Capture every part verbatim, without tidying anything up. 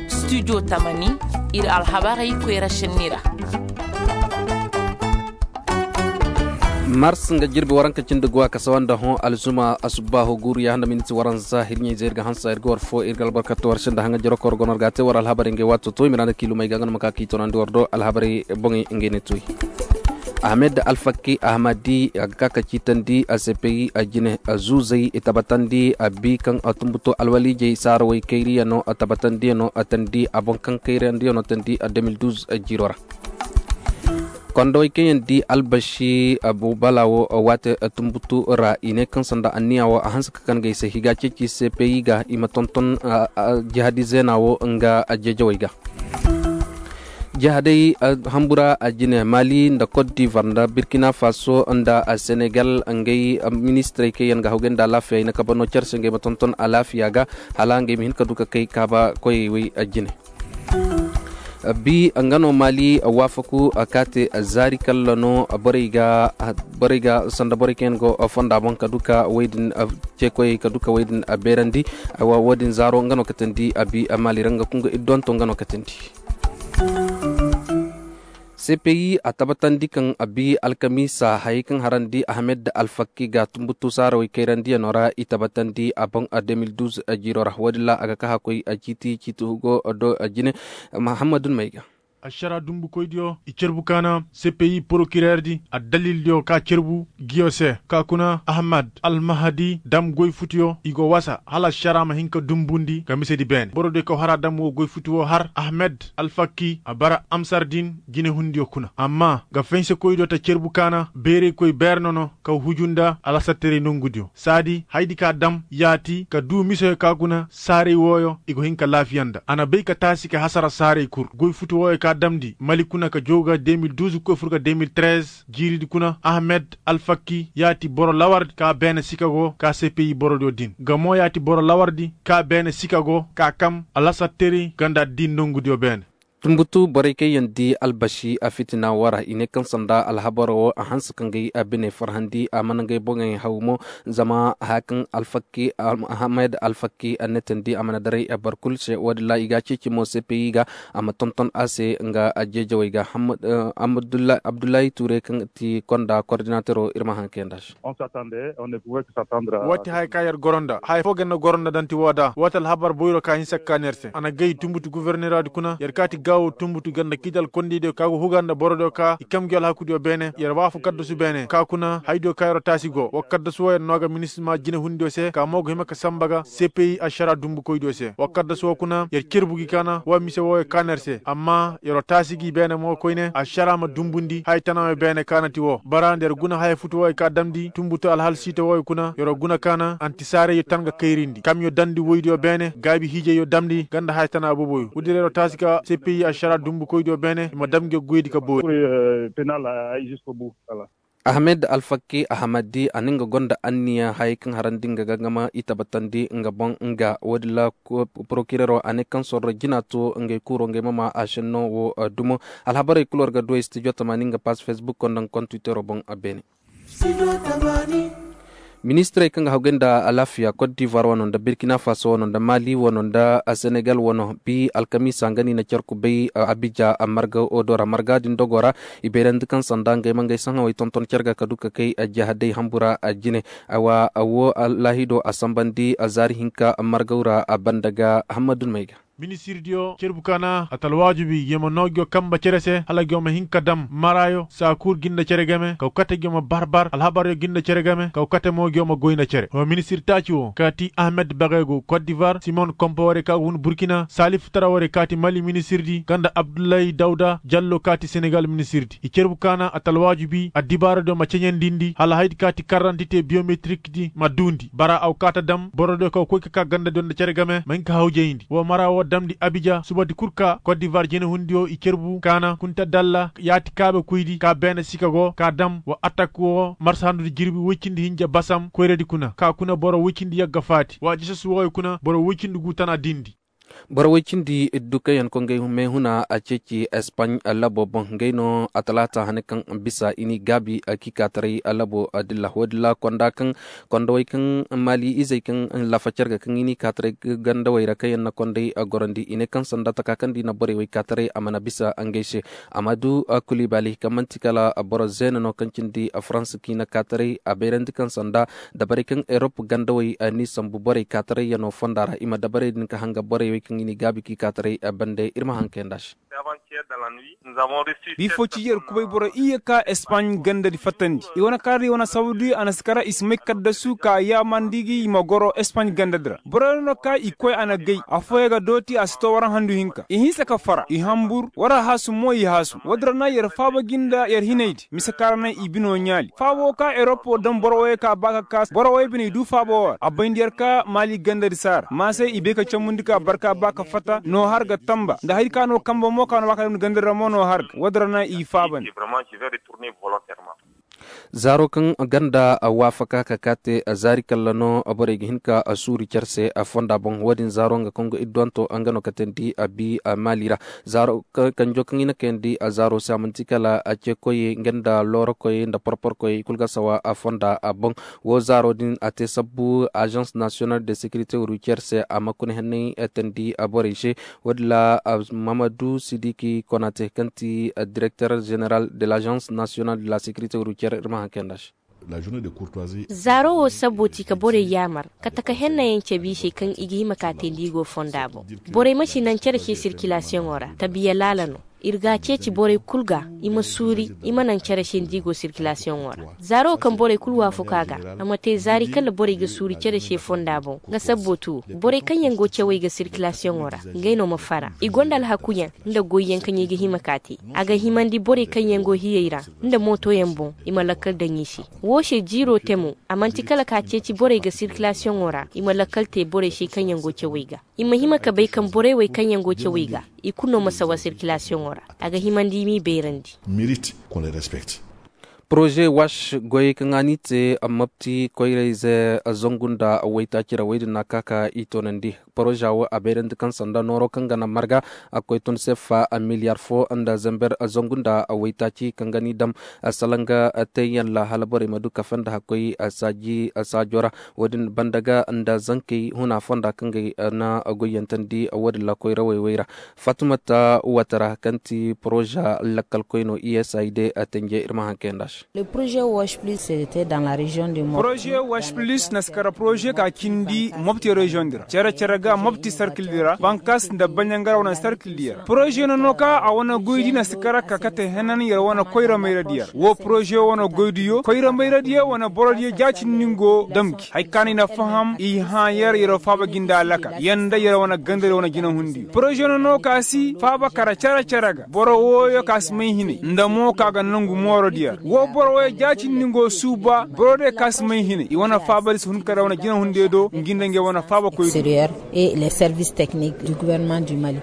Studio tamani, ir alhabarey koyra šenni ra. Mars nga jirbi waranka cindi guwa ka sawa nda hõ alzuma asubbaahu guuru ya handa miniti waranza hirɲey zey ir ga hansa ir ga war fo ir ga albarkatu war se nda haŋa jiro kor gonor ga te war alhabarey ngey waato to i ma ra nda kiilumey ga nga no ma ka k'i tonandi war do alhabarey boŋey ngey ne toy. Ahmed alfakki ahmadi a ga ka ka ciitandi a sepeyi a jine a zuuzey i tabatandi a bi kaŋ a tumbuto alwaliijey saara way kayriya no a tabatandi no a tandi a boŋ kaŋ kayrandi no tandi a deux mille douze jiro ra. Kondowey kaŋ yaŋ di albaši abu bala wo waate tumbutu ra i ne kaŋ sanda anniya wo a hanse ka kan ga i se higa ceeci sepeyi ga i ma tonton jihadi zeena wo nga a jeejawey ga. Jihadey hambura a jine mali nda kot divar nda birkina faso nda senegal ngey ministirey kaŋ yaŋ ga hawgay nda alaafiya i na kaba no care se ngey ma tonton alaafiya ga hala ngey ma hin ka du ka kay kaaba koyey wey a jine. Bi nga no mali waafaku ka te zaari kalla no borey ga sanda borey kaŋ yaŋ go fonda boŋ ka du ka wey din ceekoyey ka du ka wey din beerandi. Wo- din zaaro nga no katandi a bi mali ra nga kunga iddonto nga no katandi. Cpi a tabatandi kaŋ a bi alkamiisa hayey kaŋ harandi ahmed alfakki ga tumbutu saarawey kayrandiyaŋo ra i tabatandi a boŋ deux mille douze jiiro ra wo-din ra a ga ka hakkoy ciiti ciiti hugo do jine. Mahammadu nmay ga. Ašara dumbukoydiyo i cerbu kaana cpi porokireerdi addalildiyo ka cerbu giyo se ka kuna ahmed almahadi dam goy futiyo i go wasa hala ašara ma hin ka dumbundi ka misedi beene borodiyo kaw hara dam wo goy futi wo har ahmed alfakki a bara amsar din jinehundiyo kuna amma ga fensekoydiyo ta cerbu kaana beeraykoy beerno no kaw huju nda alasatterey nongudiyo saadi haydi ka dam yaati ka duu misoyo ka guna saaray wooyo i go hin ka laafiya nda a na bay ka taasi ka hasara saaray kur goy futu wooyo ka damndi mali kuna ka jooga deux mille douze koy fur ga deux mille treize jiiridi kuna ahmed alfakki yaati boro lawardi ka beene sika go ka cpi borodiyo din nga mo yaati boro lawardi ka beene sika go ka kam alasatterey ganda din nongudiyo beene. Tumbutu borey kaŋ yaŋ di albasi a fitina wara i ne kaŋ sanda alhabaro wo a hanse ka ngey a bine farhandi a mana ngey boŋey haw mo. Zama haya kaŋ alfakki ahmed alfakki a netandi a mana daray a bar kul se wo- din ra i ga a ceeci mo cpi ga a ma tonton a se nga a jeejawey ga. Abdullahi ture kaŋ ti konda kordinatero ir ma haŋ kayanda se. Waati haya ka yer goro nda haya foo ga yer na goro nda danti woo da waati alhabar boyro ka hinsa ka kaan yer se a na gay tumbutu goforneradi kuna yer kaati gaawo tumbutu ganda kiital kondiydiyo ka go huga nda borodiyo ka i kamgiyo alhakudiyo beene yer waafu kaddasu beene ka kuna haydiyo ka yer taasi go wa kaddasu woo yer noo ga minisma jinehundiyo se ka mo go hima ka samba ga cpi ašara dumbukoydiyo se wa kaddasu woo kuna yer cerbu gi kaana wa mise wooyo kaan yer se amma yer taasi gi beene mo koyne ašara ma dumbundi haya tanayo beene kaana ti woo bara nda yer guna haya futu wooyo ka damndi tumbutu alhal siita wooyo kuna yer guna kaana antisaarayyo tan ga kayrindi kamyo damndi woydiyo beene gaabi hiijayyo damndi ganda haya tana booboyo woodi ra yer taasi ka cpi ašara dumbukoydiyo beene i ma dam nge goydi ka boori. Ahmed alfakki ahamadi a na nga gonda anniya hayey kaŋ harandi nga gangama i tabatandi nga boŋ nga woodin ra porokirero a ne kaŋ sorro jina to ngey kuuro ngey ma maa a šenno wo. Dumo alhabarey kul war ga du ay stijo tamani nga pass facebook nda nga kontwitero boŋ. Beene. Ministirey kaŋ ga hawgay nda alaafiya kot divoir wano nda birkina faso wano nda mali wano nda senegal wano bi alkamiisa nga no i na carku bay abija marga odo ra marga din dogo ra. I bayrandi kaŋ sanda ngey ma ngey sahãwey tonton car ga ka du ka kay jahadey hambu ra. Jine awa wo laahido a sambandi zaari hinka margaw ra a banda ga hammadu may ga. Ministirdiyo cerbu kaana a ta alwaajibi ngiyo ma noo ngiyo kambe cere se hala ngiyo ma hin ka dam maraayo saakuur ginda cere game kaw kate ngiyo ma barbar alhabaryo ginda cere game kaw kate mo ngiyo ma goy nda cere wa ministir taaci wo kaati ahmed bagaygo kot divar simon kompa warey ka go hun burkina saalif tara warey kaati mali ministirdi nga nda abdullahi dawda jallo kaati senegal ministirdi i cerbu kaana a ta alwaajibi addibaaradiyo ma ceɲandindi hala haydi kaati karrantite biyometirikdi ma duundi bara aw kaata dam borodiyo kaw koy ka kaa gandadiyo nda cere game ma hin ka hawjayndi woo mara woo damndi abija subadi kul ka kot divar jenehundiyo i cerbu kaana kunta dalla yaati kaabekoydi ka beene sika go ka dam wa atak woo marsahandudi jirbi woy cindi hinja basam koyradi kuna ka kuna boro woy cindi yagga faati wa jesesu wooyo kuna boro woy cindi guu tana dindi. Boro woy cindi iddu kaŋ yaŋ koy ngey meehuna a ceeci espaaɲ labo boŋ ngey no a talaata hane kaŋ bisa i n'i gaabi. Kiikaataray labo dilla wo- din ra konda kaŋ kondowey kaŋ maali izey kaŋ lafacar ga kaŋ i n'i kaataray gandawey ra kaŋ yaŋ na kondey gorandi i ne kaŋ sanda taka kaŋ da i na borey wey kaataray a mana bisa ngey se. Amadu kulibali kaŋ man'ti kala boro zeena no kaŋ cindi farans kaŋ i na kaataray a bayrandi kaŋ sanda dabarey kaŋ erop gandawey n'i sambu borey kaataray yaŋo fonda ra i ma dabarey din ka hanga borey wey kaŋ i n'i gaabi k'i kaataray bande ir ma haŋ kay nd'a se. Bi fo ci yer kubay boro iyye ka espaaɲ ganda di fattandi i wane kaara di wane sababu di a na si kara i si may kaddasu ka yaamandi gi i ma goro espaaɲ ganda di ra boro no ka i koy a na gay afooyaŋ ga dooti a si to waraŋ handu hinka i hinsa ka fara i hambur wara haasu mo i haasu wo- din ra na yer faaba gi nda yer hinay di mise kaŋ ra naŋ i bino ɲaali faabo ka eropo daŋ boro wooyo ka ba ka kaas boro wooyo bine i du faabo wo ra a bayndi yer ka maali ganda di saara maasay i bay ka cambundi ka barka ba ka fatta no har ga tamba nda hari ka no kambe mo ka no ba ka damni ganda di ra mo no har ga wo- din ra naŋ i faabandi. Zaaro kaŋ ganda waafaka ka kaate zaari kalla no borey ga hin ka suuri care se fonda boŋ wo- din zaaro nga kongo idduwanto nga no ka teendi a bi maali ra zaaro kanjo kaŋ i na kayandi a zaaro se a manti kala a ceekoyey nga nda loorokoyey nda porporkoyey i kulu ga sawa a fonda a boŋ. Wo zaaro din a te sabbu agence national de securité routière se a ma kuna henney teendi borey se. Wo- din ra mamadu sidiki konate kaŋ ti directeur général de l'agence national de la sécurité routière ir ma haŋ kayandi a se. Zaaro wo sabbo ti ka borey yaamar ka taka hennayaŋ cabe i se kaŋ i ga hima ka te nda i go fonda boŋ. Borey ma si naŋ cere se sirkilasiyoŋo ra tabiya laala no. Ir ga a ceeci borey kul ga i ma suuri i ma naŋ cere se nda i go sirkilasiyoŋo ra. Zaaro wo kaŋ borey kul waafaku a ga a ma te zaari kala borey ga suuri cere se fonda boŋ. Nga sabbo tu borey kaŋ yaŋ go cawey ga sirkilasiyoŋo ra ngey no ma fara i gonda alhakuyaŋ nda goyyaŋ kaŋ i ga hima ka te. A ga himandi borey kaŋ yaŋ go hiyey ra nda mootoyaŋ boŋ i ma lakkal daŋ i se. Woo se jiiroo te mo a man'ti kala ka ceeci borey ga sirkilasiyoŋo ra i ma lakkal te borey se kaŋ yaŋ go cawey ga. I ma hima ka bay kaŋ borey wey kaŋ yaŋ go cawey ga i kulu no ma sawa sirkilasiyoŋo ra. A ga himandi i m'i bayrandi. Poroze wash goyey kaŋ a n'i te mapti koyrayze zangu nda waytaaci ra wey din na ka ka i toonandi. Poroza wo a bayrandi kaŋ sanda nooro kaŋ ga na marga a koy tun sefa miliyar fo nda zamber zangu nda waytaaci kaŋ ga n'i dam salanga teeyaŋ ra hala borey ma du kafe nda hakkoy saaji saajo ra. Wo- din banda ga nda zankey huna fonda kaŋ ga na goyyantandi wo- din ra koyra wayway ra. Fatumata watara kaŋ ti poroza lakkalkoy no i s i d tenje ir ma haŋ kayandi a se. Poroze wash plus na si kara poroze ka cindi mopti reziyoŋ di ra cere cere ga mopti sarkil di ra bankas nda baɲangara wane sarkil di ra poroze no no ka a wane goydi na si kara ka kate henan yer wane koyra mayra di ra wo poroze wane goydiyo koyra mayra diyo wane boro diyo ja cindi ngo damki hari ka no i na faham i hã yer yer faaba gi nda alaka yer nda yer wane ganda yer wane jinahundi poroze no no ka si faaba kara cere cere ga boro wooyo ka si may hinay nda mo ka ga nangu mooro diya ra wo boro wooyo jaacindi ngo suuba boro diya ka si may hinay i wane faaba di si hun kara wane jinahundi do ngi nda ngey wane faaba koy. Extérieur et les services techniques du gouvernement du mali.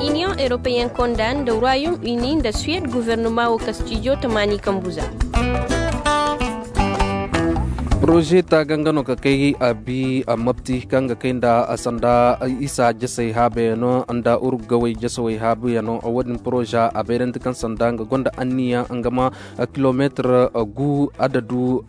Iniyoŋ europeyen konda nda royaume uni nda suwed guvernoma wo ka stijo tamaani kambuza. Poroze taaga nga no ka kay a bi a mapti kaŋ ga kay nda a sanda isa jasey haabayano nda urugawey jasawey haabayano wo- din poroze a bayrandi kaŋ sanda nga gonda anniya nga ma kilomeetir gu adadu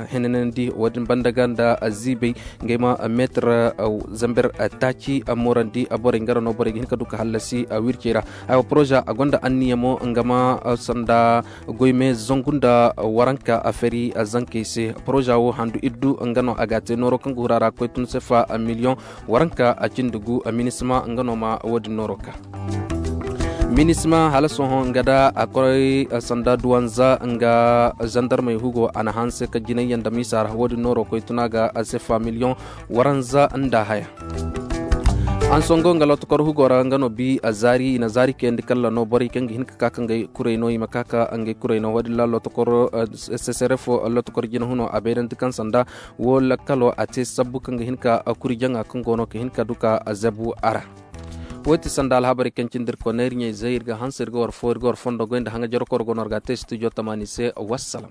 henenandi wo- din banda ga nda ziibey ngey ma meetir zamber taaci moorandi borey nga ra no borey ga hin ka du ka hallasi wircey ra. Poroza a gonda anniya mo nga ma sanda goyme zangu nda waranka fari zankey se. Poroza wo handu iddu nga no a ga a te nooro kaŋ ga huru a ra koy tun sefa miliyoŋ waranka a cindi gu. Minisma nga no ma wo- din nooro ka minisma hala sohõ nga da a koy sanda duwanza nga zandarmey hugo a na hanse ka jinayyaŋ da miisa ra wo- din nooro koy tun a ga sefa miliyoŋ waranza nda haya. Hansongo nga lotokor hugo ra nga no bi a zaari i na zaari kayandi kalla no borey kaŋ ga hin ka ka ka ngey kurey no i ma ka ka ngey kurey no wo- din ra lotokor sesere fo lotokor jina huno a bayrandi kaŋ sanda wo lakkalo a te sabbu kaŋ ga hin ka kuri jaŋa kaŋ go no ka hin ka du ka zabu a ra. Wo- ti sanda alhabarey kaŋ cindi ir konney ir ɲayzey ir ga hanse ir ga war fo ir ga war fondo goy nda haŋajarokor go no ir ga a te studio tamaani se. Wassalam.